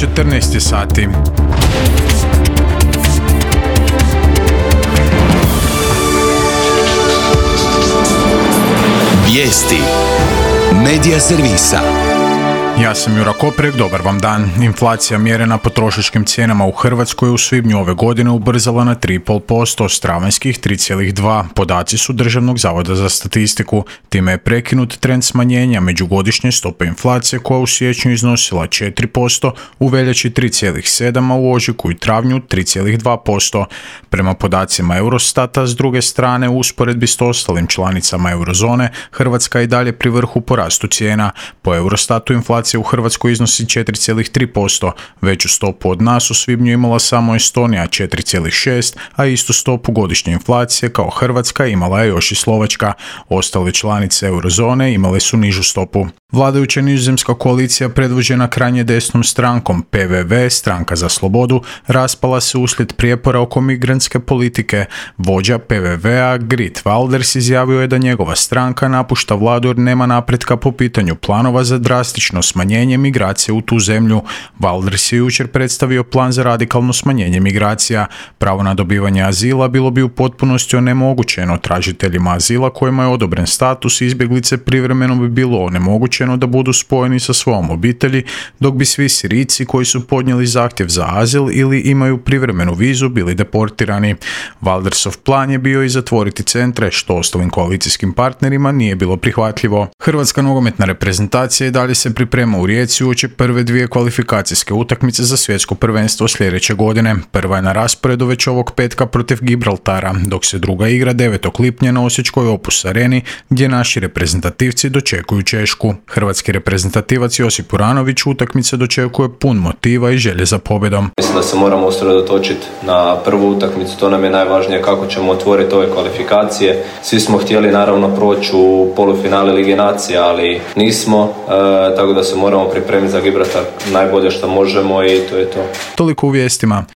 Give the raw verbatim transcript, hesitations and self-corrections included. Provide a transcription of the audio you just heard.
četrnaest sati. Vijesti Medija servisa. Ja sam Jura Koprek, dobar vam dan. Inflacija mjerena potrošačkim cijenama u Hrvatskoj u svibnju ove godine ubrzala na tri zarez pet posto, s travanjskih tri zarez dva. Podaci su Državnog zavoda za statistiku. Time je prekinut trend smanjenja međugodišnje stope inflacije koja u siječnju iznosila četiri posto, u veljači tri zarez sedam, a u ožujku i travnju tri zarez dva posto. Prema podacima Eurostata, s druge strane, u usporedbi s ostalim članicama eurozone, Hrvatska je i dalje pri vrhu po rastu cijena. Po Eurostatu inflacija u Hrvatskoj iznosi četiri zarez tri posto, veću stopu od nas u svibnju imala samo Estonija četiri zarez šest, a istu stopu godišnje inflacije kao Hrvatska imala je još i Slovačka. Ostale članice eurozone imale su nižu stopu. Vladajuća nizozemska koalicija predvođena krajnje desnom strankom P V V, Stranka za slobodu, raspala se uslijed prijepora oko migrantske politike. Vođa P V V-a Geert Wilders izjavio je da njegova stranka napušta vladu jer nema napretka po pitanju planova za drastično smanjenje migracije u tu zemlju. Wilders je jučer predstavio plan za radikalno smanjenje migracija. Pravo na dobivanje azila bilo bi u potpunosti onemogućeno tražiteljima azila kojima je odobren status izbjeglice, privremeno bi bilo onemogućeno da budu spojeni sa svojom obitelji, dok bi svi Sirijci koji su podnijeli zahtjev za azil ili imaju privremenu vizu bili deportirani. Wildersov plan je bio i zatvoriti centre, što ostalim koalicijskim partnerima nije bilo prihvatljivo. Hrvatska nogometna reprezentacija i dalje se priprema u Rijeci uoči prve dvije kvalifikacijske utakmice za svjetsko prvenstvo sljedeće godine. Prva je na rasporedu već ovog petka protiv Gibraltara, dok se druga igra devetog lipnja na osječkoj Opus Areni, gdje naši reprezentativci dočekuju Češku. Hrvatski reprezentativac Josip Uranović utakmice dočekuje pun motiva i želje za pobjedom. Mislim da se moramo usredotočiti na prvu utakmicu, to nam je najvažnije kako ćemo otvoriti ove kvalifikacije. Svi smo htjeli naravno proći u polufinale Lige nacija, ali nismo, e, tako da se moramo pripremiti za Gibraltar najbolje što možemo i to je to. Toliko u vijestima.